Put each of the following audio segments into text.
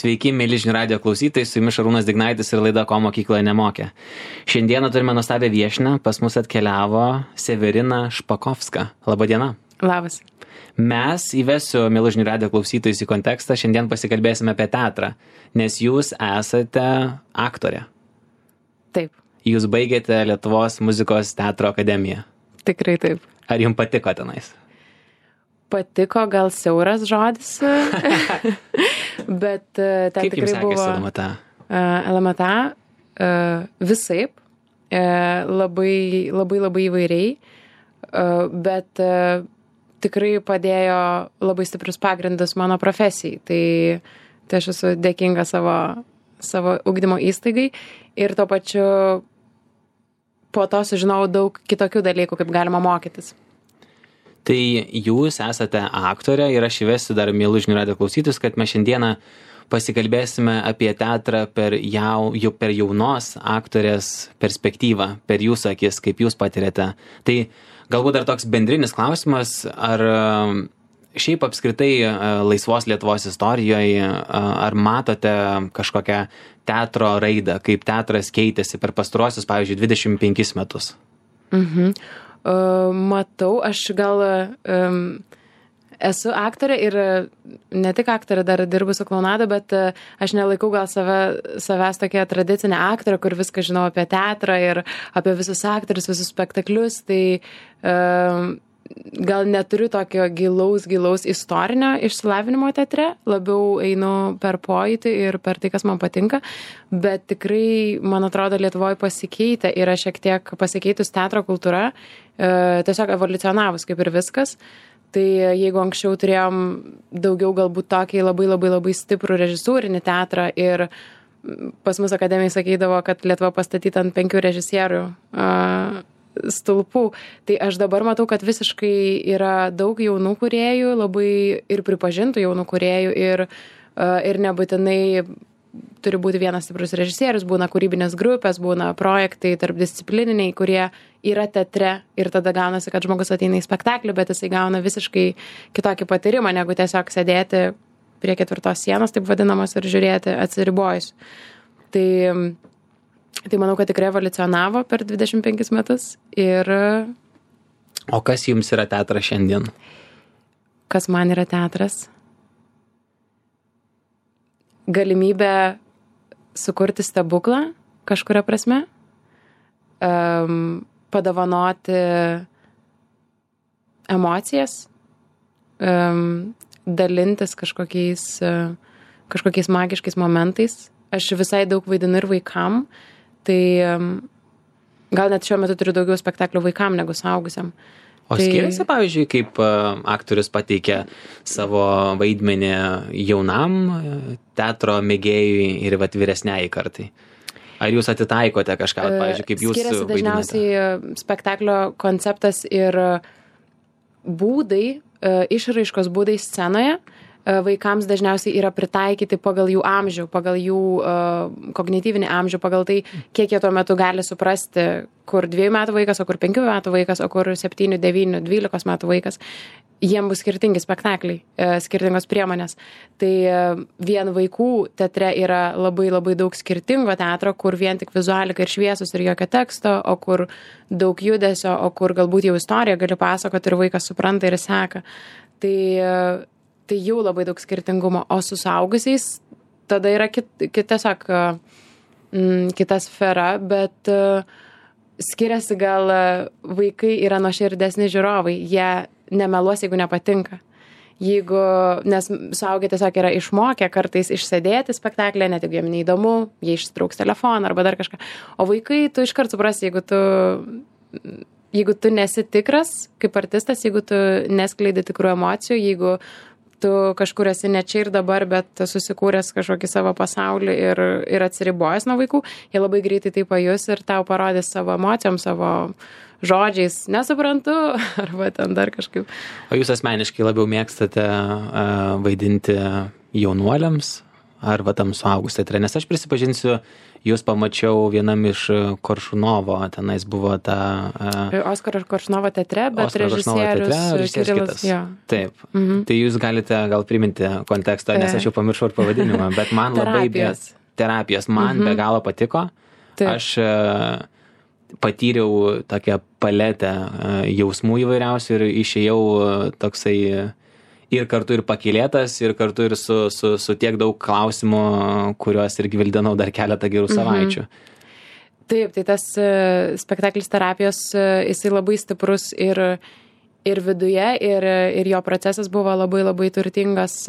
Sveiki, mėly žinių radijo klausytojai, su jumis Šarūnas Dignaitis ir laida Ko mokykloje nemokė. Šiandieną turime nuostabią viešnią, pas mus atkeliavo Severina Špakovska. Labadiena. Labas. Mes įvesiu, mėly žinių radijo klausytojus, į kontekstą, šiandien pasikalbėsime apie teatrą, nes jūs esate aktorė. Taip. Jūs baigėte Lietuvos muzikos teatro akademiją. Tikrai taip. Ar jums patiko tenais? Patiko, gal siauras žodis, bet ten Kaip tikrai buvo... Kaip jums sekėsi LMTA? LMTA visaip, labai įvairiai, bet tikrai padėjo labai stiprius pagrindus mano profesijai. Tai aš esu dėkinga savo ugdymo įstaigai ir tuo pačiu po to sužinojau daug kitokių dalykų, kaip galima mokytis. Tai jūs esate aktorė ir aš įvesiu dar mėlų žinių radijo klausytis, kad mes šiandieną pasikalbėsime apie teatrą per jaunos aktorės perspektyvą, per jūsų akis, kaip jūs patiriate. Tai galbūt dar toks bendrinis klausimas, ar šiaip apskritai laisvos Lietuvos istorijoje, ar matote kažkokią teatro raidą, kaip teatras keitėsi per pastaruosius, pavyzdžiui, 25 metus? Matau, aš gal esu aktorė ir ne tik aktorė, dar dirbu su klounada, bet aš nelaikau gal savęs tokia tradicinė aktorė, kur viską žinau apie teatrą ir apie visus aktorius, visus spektaklius, tai gal neturiu tokio gilaus istorinio išsilavinimo teatre, labiau einu per pojūtį ir per tai, kas man patinka, bet tikrai, man atrodo, Lietuvoje pasikeitė, yra šiek tiek pasikeitus teatro kultūra, tiesiog evoliucionavus kaip ir viskas. Tai jeigu anksčiau turėjom daugiau galbūt tokį labai stiprų režisūrinį teatrą ir pas mus akademijai sakydavo, kad Lietuva pastatyta ant 5 režisierių stulpų, tai aš dabar matau, kad visiškai yra daug jaunų kūrėjų, labai ir pripažintų jaunų kūrėjų ir nebūtinai turi būti vienas stiprus režisierius, būna kūrybinės grupės, būna projektai tarpdisciplininiai, kurie yra teatre ir tada gaunasi, kad žmogus ateina į spektaklį, bet jisai gauna visiškai kitokį patyrimą, negu tiesiog sėdėti prie 4 sienos, taip vadinamos, ir žiūrėti atsiribojus. Tai manau, kad tikrai evoliucionavo per 25 metus ir... O kas jums yra teatras šiandien? Kas man yra teatras? Galimybė sukurti stebuklą kažkuria prasme, padovanoti emocijas, dalintis kažkokiais magiškais momentais. Aš visai daug vaidinu ir vaikam, tai gal net šiuo metu turiu daugiau spektaklių vaikam negu suaugusiam. O skiriasi, pavyzdžiui, kaip aktorius pateikia savo vaidmenį jaunam teatro mėgėjui ir vyresniai kartai? Ar jūs atitaikote kažką, pavyzdžiui, kaip jūs skiriasi vaidinate? Dažniausiai spektaklio konceptas ir būdai, išraiškos būdai scenoje vaikams dažniausiai yra pritaikyti pagal jų amžių, pagal jų kognityvinį amžių, pagal tai, kiek jie tuo metu gali suprasti, kur 2 metų vaikas, o kur 5 metų vaikas, o kur 7, 9, 12 metų vaikas. Jiem bus skirtingi spektakliai, skirtingos priemonės. Tai vien vaikų teatre yra labai daug skirtingo teatro, kur vien tik vizualika ir šviesus ir jokio teksto, o kur daug judesio, o kur galbūt jau istoriją gali pasakoti ir vaikas supranta ir seka. Tai jau labai daug skirtingumo, o su suaugusiais tada yra tiesiog kita sfera, bet skiriasi gal vaikai yra nuoširdesni žiūrovai, jie nemeluos, jeigu nepatinka. Nes suaugę tiesiog yra išmokę kartais išsėdėti spektaklį, net jeigu jiem neįdomu, jie ištrauks telefoną arba dar kažką. O vaikai, tu iškart suprasi, jeigu tu nesi tikras kaip artistas, jeigu tu neskleidi tikrų emocijų, jeigu tu kažkur esi ne čia ir dabar, bet susikūręs kažkokį savo pasaulį ir atsiribojęs nuo vaikų, jie labai greitai tai pajus ir tau parodys savo emocijom, savo žodžiais, nesuprantu, arba ten dar kažkaip. O jūs asmeniškai labiau mėgstate vaidinti jaunuoliams ar va tam suaugus teatre? Nes aš prisipažinsiu, jūs pamačiau vienam iš Koršunovo, tenais buvo ta... Oskaro Koršunovo teatre, bet režisierius kitas. Taip. Tai jūs galite gal priminti kontekstą, nes aš jau pamiršau ir pavadinimą, bet man terapijos man be galo patiko. Taip. Aš patyriau tokią paletę jausmų įvairiausių ir išėjau toksai ir kartu ir pakylėtas, ir kartu ir su tiek daug klausimų, kuriuos ir gvildenau dar keletą gerų savaičių. Taip, tai tas spektaklis terapijos, jisai labai stiprus ir viduje, ir jo procesas buvo labai labai turtingas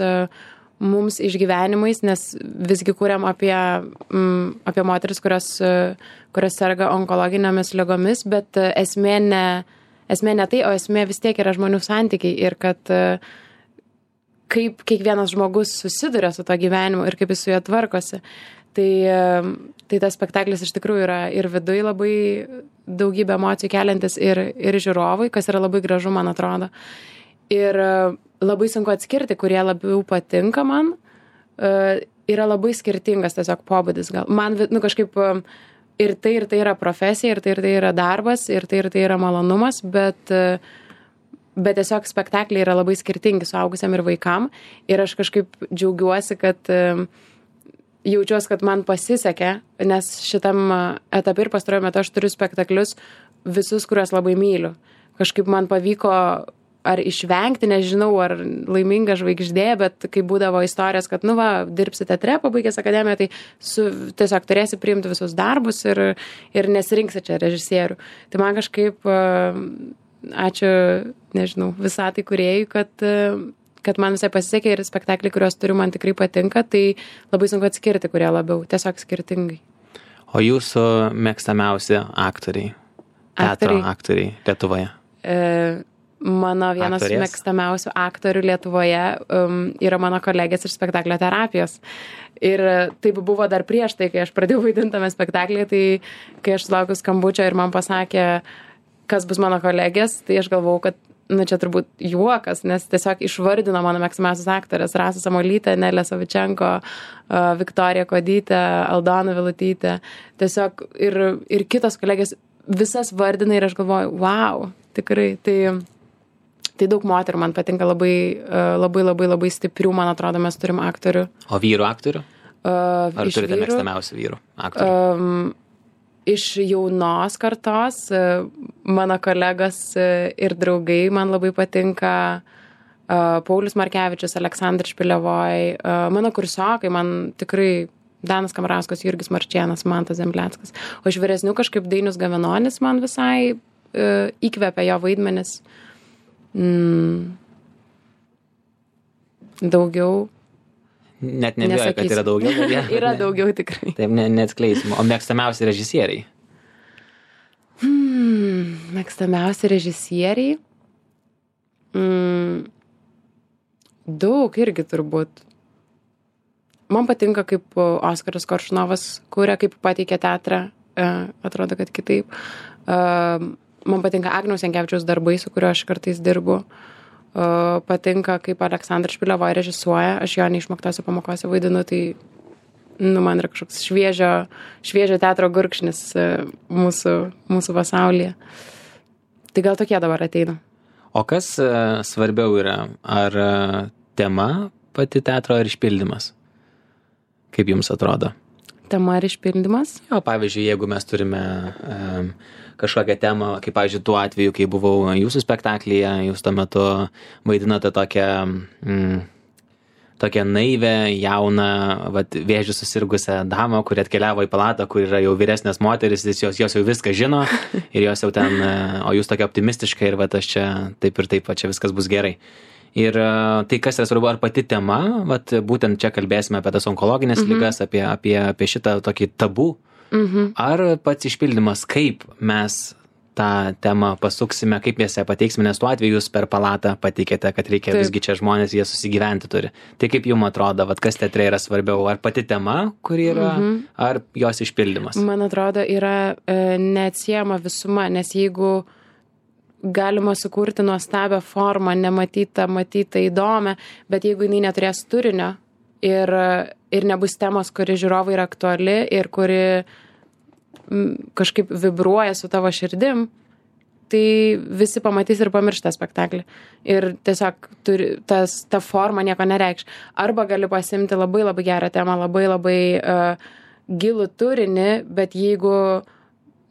mums išgyvenimais, nes visgi kūrėm apie moteris, kurios serga onkologinėmis ligomis, bet esmė ne tai, o esmė vis tiek yra žmonių santykiai ir kad kaip kiekvienas žmogus susiduria su to gyvenimu ir kaip jis su juo tvarkosi. Tai tas spektaklis iš tikrųjų yra ir viduj labai daugybę emocijų keliantis ir žiūrovui, kas yra labai gražu, man atrodo. Ir labai sunku atskirti, kurie labiau patinka man. Yra labai skirtingas tiesiog pobūdis gal. Man kažkaip ir tai yra profesija, ir tai yra darbas, ir tai yra malonumas, bet tiesiog spektakliai yra labai skirtingi suaugusiam ir vaikam. Ir aš kažkaip džiaugiuosi, kad jaučiuosi, kad man pasisekė, nes šitam etape ir pastaruoju metu aš turiu spektaklius visus, kuriuos labai myliu. Kažkaip man pavyko ar išvengti, nežinau, ar laiminga žvaigždė, bet kai būdavo istorijos, kad, dirbsi teatre, pabaigęs akademiją, tai tiesiog turėsi priimti visus darbus ir nesirinksi čia režisierių. Tai man kažkaip... Ačiū, nežinau, visatai kūrėjui, kad man visai pasisekė ir spektakliai, kuriuos turiu, man tikrai patinka, tai labai sunku atskirti, kurie labiau, tiesiog skirtingai. O jūsų mėgstamiausi aktoriai? Teatro aktoriai Lietuvoje? Mano vienas mėgstamiausių aktorių Lietuvoje yra mano kolegės iš spektaklio terapijos. Ir taip buvo dar prieš tai, kai aš pradėjau vaidinti tame spektaklyje, tai kai aš sulaukiau skambučio ir man pasakė, kas bus mano kolegės, tai aš galvau, kad čia turbūt juokas, nes tiesiog išvardino mano mėgstamiausias aktorės: Rasa Samuolytė, Nelė Savičenko, Viktorija Kodytė, Aldona Vilutytė. Tiesiog ir kitos kolegės visas vardina ir aš galvoju, wow, tikrai. Tai daug moterų man patinka, labai stiprių, man atrodo, mes turim aktorių. O vyrų aktorių? Ar turite mėgstamiausių vyrų aktorių? Iš jaunos kartos, mano kolegos ir draugai, man labai patinka Paulius Markevičius, Aleksandras Špilevoj, mano kursiokai, man tikrai Danas Kamrauskas, Jurgis Marčėnas, Mantas Zembleckas. O iš vyresnių kažkaip Dainius Gavenonis man visai įkvepia jo vaidmenis. Daugiau. Net nebijoju, kad yra daugiau. Yra daugiau tikrai. Taip, neatskleisim. O mėgstamiausi režisieriai? Mėgstamiausi režisieriai? Daug irgi turbūt. Man patinka, kaip Oskaras Koršunovas kuria, kaip pateikia teatrą. Atrodo, kad kitaip. Man patinka Agniaus Jankevičiaus darbai, su kuriuo aš kartais dirbu. Patinka, kaip Aleksandras Špilevoj režisuoja. Aš jo neišmoktose pamokose vaidinu, tai man yra kažkoks šviežio teatro gurkšnis mūsų pasaulyje. Tai gal tokie dabar ateina. O kas svarbiau yra? Ar tema pati teatro ar išpildymas? Kaip jums atrodo? Tema ar išpildymas? Jo, pavyzdžiui, jeigu mes turime kažkokią temą, kaip, pavyzdžiui, tuo atveju, kai buvau jūsų spektaklyje, jūs tuo metu vaidinote tokią naivę, jauną, vėžiu susirgusią damą, kuri atkeliavo į palatą, kur yra jau vyresnės moteris, jos jau viską žino ir jos jau ten, o jūs tokia optimistiška ir aš čia taip ir taip, čia viskas bus gerai. Ir tai, kas yra svarbu, ar pati tema, būtent čia kalbėsime apie tas onkologinės ligas, apie šitą tokį tabų, ar pats išpildymas, kaip mes tą temą pasuksime, kaip mes ją pateiksime, nes tuo atveju jūs per palatą pateikėte, kad reikia visgi čia žmonės, jie susigyventi turi. Tai kaip jums atrodo, kas teatre yra svarbiau, ar pati tema, kuri yra, ar jos išpildymas? Man atrodo, yra neatsiejama visuma, nes jeigu galima sukurti nuostabią formą, nematytą, įdomią, bet jeigu jinai neturės turinio, ir nebus temos, kuri žiūrovai yra aktuali ir kuri kažkaip vibruoja su tavo širdim, tai visi pamatys ir pamirš tą spektaklį. Ir tiesiog ta forma nieko nereikš. Arba gali pasimti labai labai gerą temą, labai labai gilų turinį, bet jeigu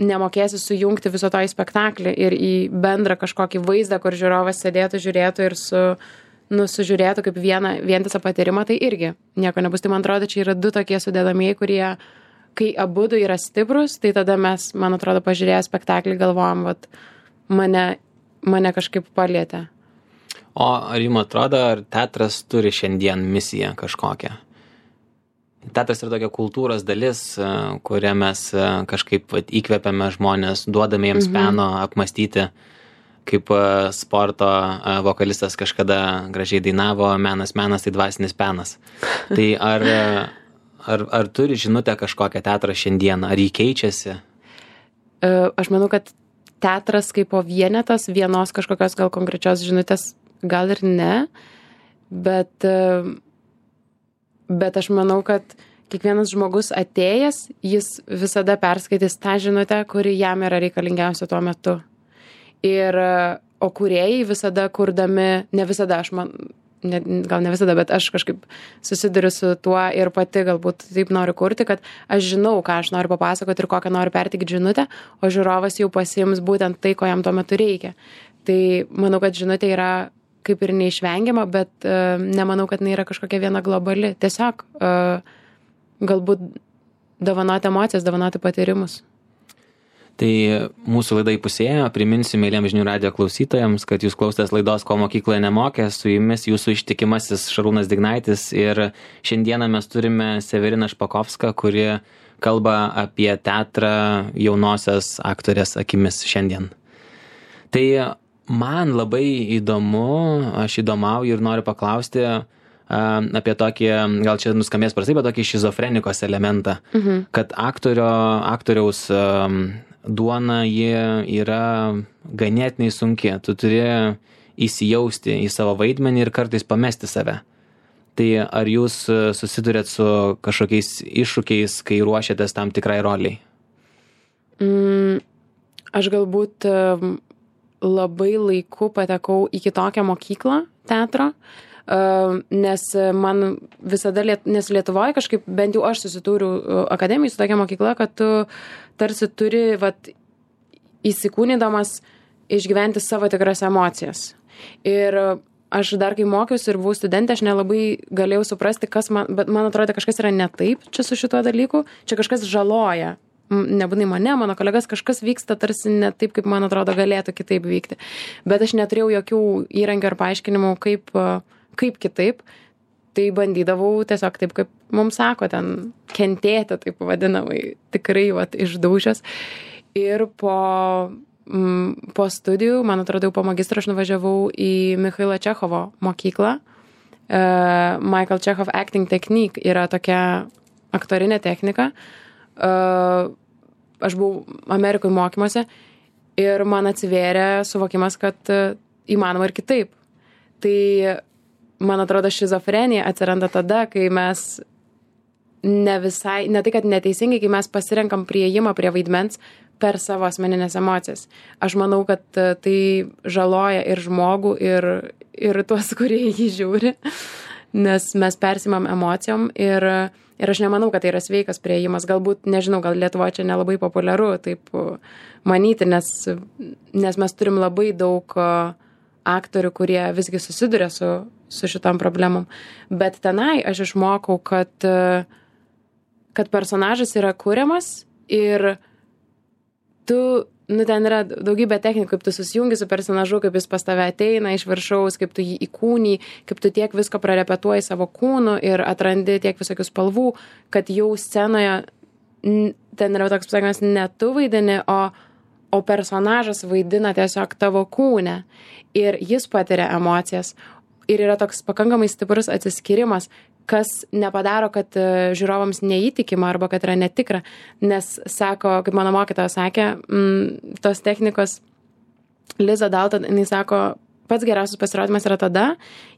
nemokėsi sujungti viso to į spektaklį ir į bendrą kažkokį vaizdą, kur žiūrovas sėdėtų, žiūrėtų ir sužiūrėtų kaip vientisą patyrimą, tai irgi nieko nebus. Tai man atrodo, čia yra du tokie sudedamieji, kurie, kai abudu yra stiprus, tai tada mes, man atrodo, pažiūrėję spektaklį galvojam, vat, mane kažkaip palietė. O ar jums atrodo, ar teatras turi šiandien misiją kažkokią? Teatras yra tokia kultūros dalis, kurią mes kažkaip įkvepiame žmonės, duodame jiems peno apmastyti, kaip sporto vokalistas kažkada gražiai dainavo, menas tai dvasinis penas. Tai ar turi žinutę kažkokią teatrą šiandien, ar jį keičiasi? Aš manau, kad teatras kaip po vienetas, vienos kažkokios gal konkrečios žinutės, gal ir ne, bet aš manau, kad kiekvienas žmogus atėjęs, jis visada perskaitys tą žinutę, kuri jam yra reikalingiausia tuo metu. O kūrėjai visada kurdami, ne visada, gal ne visada, bet aš kažkaip susiduriu su tuo ir pati galbūt taip noriu kurti, kad aš žinau, ką aš noriu papasakoti ir kokią noriu perteikti žinutę, o žiūrovas jau pasiims būtent tai, ko jam tuo metu reikia. Tai manau, kad žinutė yra kaip ir neišvengiama, bet nemanau, kad jinai yra kažkokia viena globali. Tiesiog galbūt dovanoti emocijas, dovanoti patyrimus. Tai mūsų laida įpusėjo. Priminsiu mėlyms žinių radijo klausytojams, kad jūs klausėtės laidos Ko mokykloje nemokė. Su jumis jūsų ištikimasis Šarūnas Dignaitis. Ir šiandieną mes turime Severiną Špakovską, kuri kalba apie teatrą jaunosios aktorės akimis šiandien. Tai man labai įdomu, aš įdomauju ir noriu paklausti apie tokį, gal čia nuskambės prastai, bet tokį šizofrenikos elementą, kad aktoriaus duona ji yra ganėtinai sunki. Tu turi įsijausti į savo vaidmenį ir kartais pamesti save. Tai ar jūs susidurėt su kažkokiais iššūkiais, kai ruošiatės tam tikrai roliai? Aš galbūt labai laiku patekau į kitokią mokyklą teatro, nes man visada, nes Lietuvoje kažkaip, bent jau aš susidūriau akademijai su tokia mokykla, kad tu tarsi turi įsikūnydamas išgyventi savo tikras emocijas. Ir aš dar kai mokiausi ir buvau studentė, aš nelabai galėjau suprasti, bet man atrodo, kažkas yra ne taip čia su šituo dalyku, čia kažkas žaloja. Nebūnai mane, mano kolegas, kažkas vyksta tarsi ne taip, kaip man atrodo galėtų kitaip vykti. Bet aš neturėjau jokių įrankių ar paaiškinimų, kaip kitaip. Tai bandydavau tiesiog taip, kaip mums sako, ten kentėti, taip vadinamai, tikrai išdaužęs. Ir po studijų, man atrodo, po magistro aš nuvažiavau į Michailo Čechovo mokyklą. Michael Čechov Acting Technique yra tokia aktorinė technika. Aš buvau Amerikoje mokymuose ir man atsivėrė suvokimas, kad įmanoma ir kitaip. Tai, man atrodo, šizofrenija atsiranda tada, kai mes ne tai, kad neteisingai, kai mes pasirenkam priėjimą prie vaidmens per savo asmeninės emocijas. Aš manau, kad tai žaloja ir žmogų, ir tuos, kurie jį žiūri, nes mes persimam emocijom ir aš nemanau, kad tai yra sveikas priėjimas. Galbūt, nežinau, gal Lietuvoje čia nelabai populiaru taip manyti, nes mes turim labai daug aktorių, kurie visgi susiduria su šitom problemom. Bet tenai aš išmokau, kad personažas yra kuriamas ir ten yra daugybė technikų, kaip tu susijungi su personažu, kaip jis pas tave ateina iš viršaus, kaip tu jį įkūnį, kaip tu tiek visko prarepetuoji savo kūnu ir atrandi tiek visokių spalvų, kad jau scenoje ten yra toks pasakymas, ne tu vaidini, o personažas vaidina tiesiog tavo kūne ir jis patiria emocijas. Ir yra toks pakankamai stiprus atsiskyrimas, kas nepadaro, kad žiūrovams neįtikima arba kad yra netikra, nes sako, kaip mano mokytoja sakė, tos technikos Liza Dalton, jinai sako, pats geriausias pasirodymas yra tada,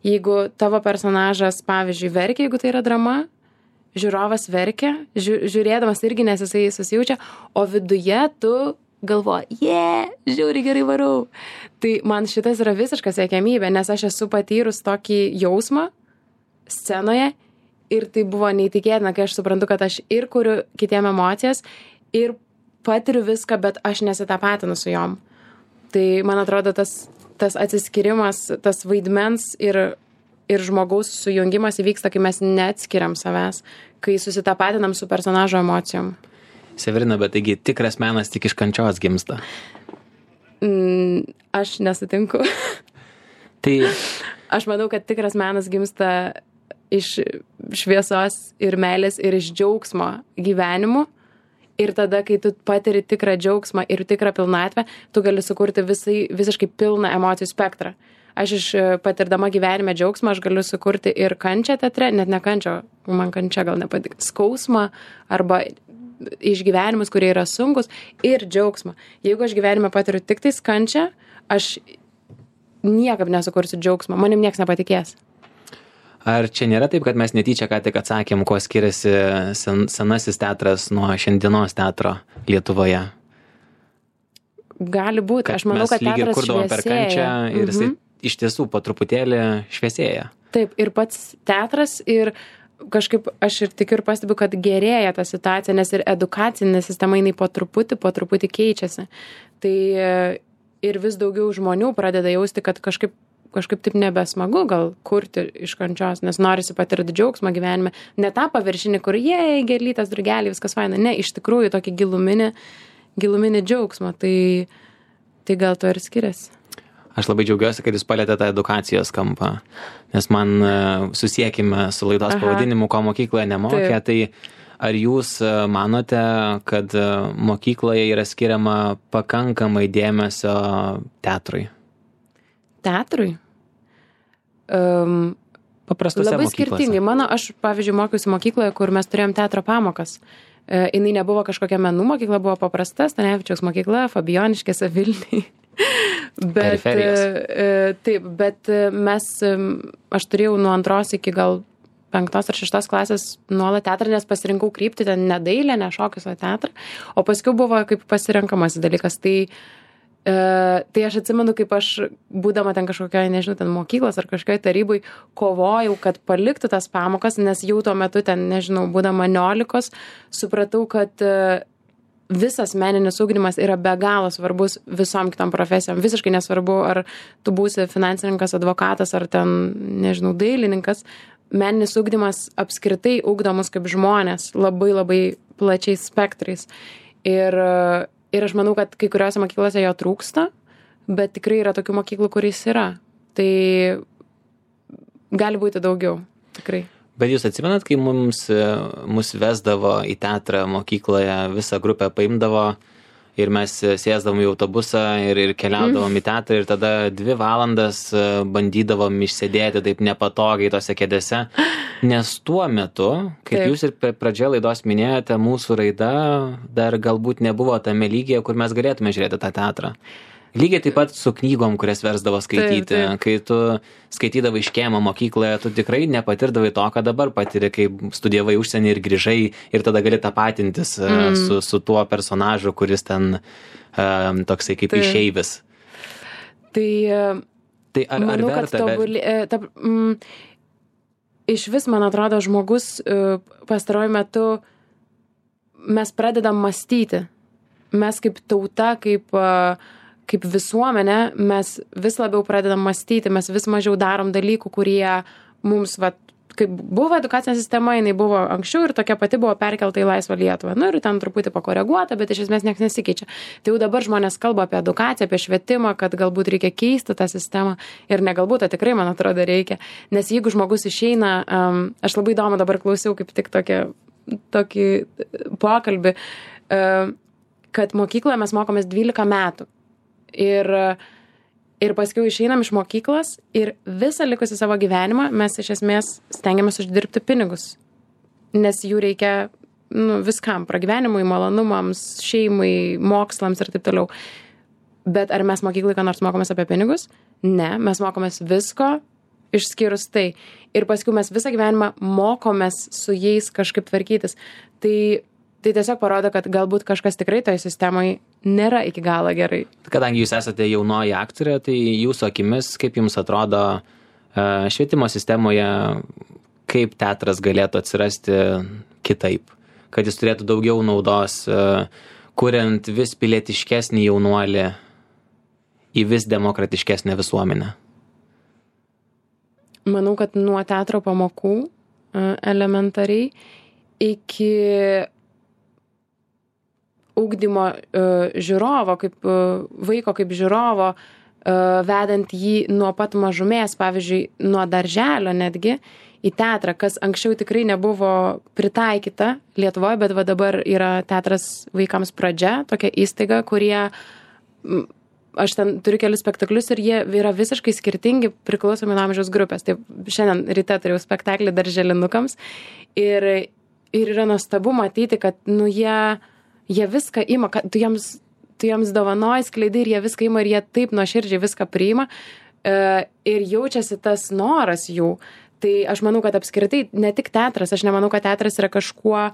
jeigu tavo personažas, pavyzdžiui, verkia, jeigu tai yra drama, žiūrovas verkia, žiūrėdamas irgi, nes jisai susijaučia, o viduje tu galvoji, žiūri, gerai varau. Tai man šitas yra visiška siekiamybė, nes aš esu patyrus tokį jausmą scenoje ir tai buvo neįtikėtina, kai aš suprantu, kad aš ir kuriu kitiem emocijas ir patiriu viską, bet aš nesitapatinu su jom. Tai man atrodo, tas atsiskirimas, tas vaidmens ir žmogaus sujungimas įvyksta, kai mes neatskiriam savęs, kai susitapatinam su personažo emocijom. Severina, bet taigi tikras menas tik iš kančios gimsta. Aš nesutinku. Tai aš manau, kad tikras menas gimsta iš šviesos ir meilės ir iš džiaugsmo gyvenimu. Ir tada, kai tu patiri tikrą džiaugsmą ir tikrą pilnatvę, tu gali sukurti visiškai pilną emocijų spektrą. Aš iš patirdama gyvenime džiaugsmą, aš galiu sukurti ir kančią teatre, net ne kančią, man kančia gal nepatik, skausmą arba išgyvenimus, kurie yra sunkus, ir džiaugsmą. Jeigu aš gyvenime patiriu tik tais kančią, aš niekaip nesukursiu džiaugsmą, manim nieks nepatikės. Ar čia nėra taip, kad mes netyčia ką tik atsakėm, kuo skiriasi senasis teatras nuo šiandienos teatro Lietuvoje? Gali būti. Aš manau, kad teatras kurdavom per kančią ir jisai iš tiesų po truputėlį šviesėja. Taip, ir pats teatras ir kažkaip aš ir tikiu ir pastebiu, kad gerėja ta situacija, nes ir edukacinė sistema jinai po truputį keičiasi. Tai ir vis daugiau žmonių pradeda jausti, kad kažkaip taip nebesmagu gal kurti iš kančios, nes norisi patirti džiaugsmą gyvenime. Ne tą paviršinį, kur gėlytas, drugeliai, viskas faina. Ne, iš tikrųjų tokį giluminį džiaugsmą. Tai gal to ir skiriasi. Aš labai džiaugiuosi, kad jūs palėtėte tą edukacijos kampą, nes man susiekime su laidos pavadinimu, ko mokykloje nemokė. Tai ar jūs manote, kad mokykloje yra skiriama pakankamai dėmesio teatrui? Teatrui? Paprastose labai mokyklose. Skirtingai. Aš, pavyzdžiui, mokiausi mokykloje, kur mes turėjom teatro pamokas. Jinai nebuvo kažkokia menų mokykla, buvo paprasta, Stanevičiaus mokykla, Fabijoniškėse, Vilniuje. Taip, bet aš turėjau nuo 2 iki gal 5 ar 6 klasės nuolat teatrą, nes pasirinkau kryptį ten ne dailę, ne šokius, o teatrą. O paskui buvo kaip pasirenkamas dalykas. Tai aš atsimenu, kaip aš, būdama ten kažkokioje, nežinau, ten mokyklos ar kažkokioje tarybai, kovojau, kad paliktų tas pamokas, nes jau tuo metu ten, nežinau, būdama 19, supratau, kad visas meninis ugdymas yra be galo svarbus visom kitom profesijom. Visiškai nesvarbu, ar tu būsi finansininkas, advokatas, ar ten, nežinau, dailininkas. Meninis ugdymas apskritai ugdo mus kaip žmonės labai labai plačiais spektrais. Ir aš manau, kad kai kuriuose mokyklose jo trūksta, bet tikrai yra tokių mokyklų, kuris yra. Tai gali būti daugiau, tikrai. Bet jūs atsimenat, kai mus vesdavo į teatrą mokykloje, visą grupę paimdavo ir mes sėsdavom į autobusą ir keliaudavom į teatrą ir tada 2 valandas bandydavom išsėdėti taip nepatogiai tose kėdėse, nes tuo metu, kaip jūs ir pradžioje laidos minėjote, mūsų raida dar galbūt nebuvo tame lygyje, kur mes galėtume žiūrėti tą teatrą. Lygiai taip pat su knygom, kurias versdavo skaityti. Taip. Kai tu skaitydavai iškėmą mokykloje, tu tikrai nepatirdavai to, ką dabar patiri, kai studijavai užsienį ir grįžai ir tada gali tapatintis su tuo personažu, kuris ten toksai kaip išeivis. Tai ar manau, verta? Iš vis, man atrodo, žmogus pastaruoju metu mes pradedam mąstyti. Mes kaip tauta, kaip visuomenė, mes vis labiau pradedam mąstyti, mes vis mažiau darom dalykų, kurie mums, kaip buvo edukacinė sistema, jinai buvo anksčiau ir tokia pati buvo perkelta į laisvą Lietuvą. Ir ten truputį pakoreguota, bet iš esmės niekas nesikeičia. Tai jau dabar žmonės kalba apie edukaciją, apie švietimą, kad galbūt reikia keisti tą sistemą ir negalbūt, tai tikrai, man atrodo, reikia. Nes jeigu žmogus išeina, aš labai įdomu dabar klausiau kaip tik tokį pokalbį, kad mokykloje mes mokomės 12 metų. Ir paskui išeinam iš mokyklos ir visą likusį savo gyvenimą mes iš esmės stengiamės uždirbti pinigus. Nes jų reikia viskam, pragyvenimui, malonumams, šeimai, mokslams ir taip toliau. Bet ar mes mokyklai ką nors mokomės apie pinigus? Ne, mes mokomės visko, išskyrus tai. Ir paskui mes visą gyvenimą mokomės su jais kažkaip tvarkytis. Tai tiesiog parodo, kad galbūt kažkas tikrai toje sistemoje nėra iki galo gerai. Kadangi jūs esate jaunoji aktorė, tai jūsų akimis, kaip jums atrodo švietimo sistemoje, kaip teatras galėtų atsirasti kitaip, kad jis turėtų daugiau naudos, kuriant vis pilietiškesnį jaunuolį į vis demokratiškesnę visuomenę? Manau, kad nuo teatro pamokų elementariai iki ugdymo žiūrovo, kaip vaiko kaip žiūrovo, vedant jį nuo pat mažumės, pavyzdžiui, nuo darželio netgi į teatrą, kas anksčiau tikrai nebuvo pritaikyta Lietuvoje, bet va dabar yra teatras vaikams pradžia, tokia įstaiga, kurie aš ten turiu kelius spektaklius ir jie yra visiškai skirtingi priklausomi nuo amžiaus grupės. Tai šiandien ryte turėjau spektaklį darželinukams ir yra nuostabu matyti, kad jie viską ima, kad tu jiems dovanoji, skleidai ir jie viską ima ir jie taip nuoširdžiai viską priima ir jaučiasi tas noras jų. Tai aš manau, kad apskritai ne tik teatras, aš nemanau, kad teatras yra kažkuo,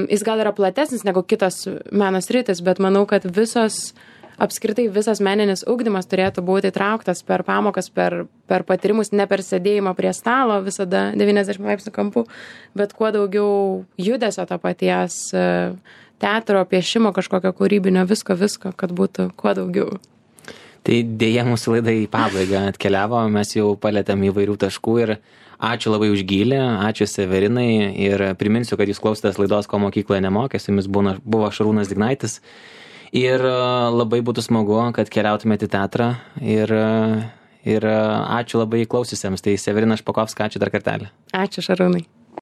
jis gal yra platesnis negu kitos meno sritis, bet manau, kad apskritai visas meninis ugdymas turėtų būti įtrauktas per pamokas, per patyrimus, ne per sėdėjimą prie stalo visada 90 laipsnių kampu, bet kuo daugiau judesio to paties teatro, piešimo, kažkokio kūrybinio, visko, kad būtų kuo daugiau. Tai dėja mūsų laida į pabaigą atkeliavo, mes jau palėtėm įvairių taškų ir ačiū labai už gylį, ačiū Severinai ir priminsiu, kad jūs klausotės laidos Ko mokykloje nemokė, su jumis buvo Šarūnas Dignaitis. Ir labai būtų smagu, kad keliautumėte į teatrą ir ačiū labai klausiusiems. Tai Severina Špakovska, ačiū dar kartelį. Ačiū Šarūnai.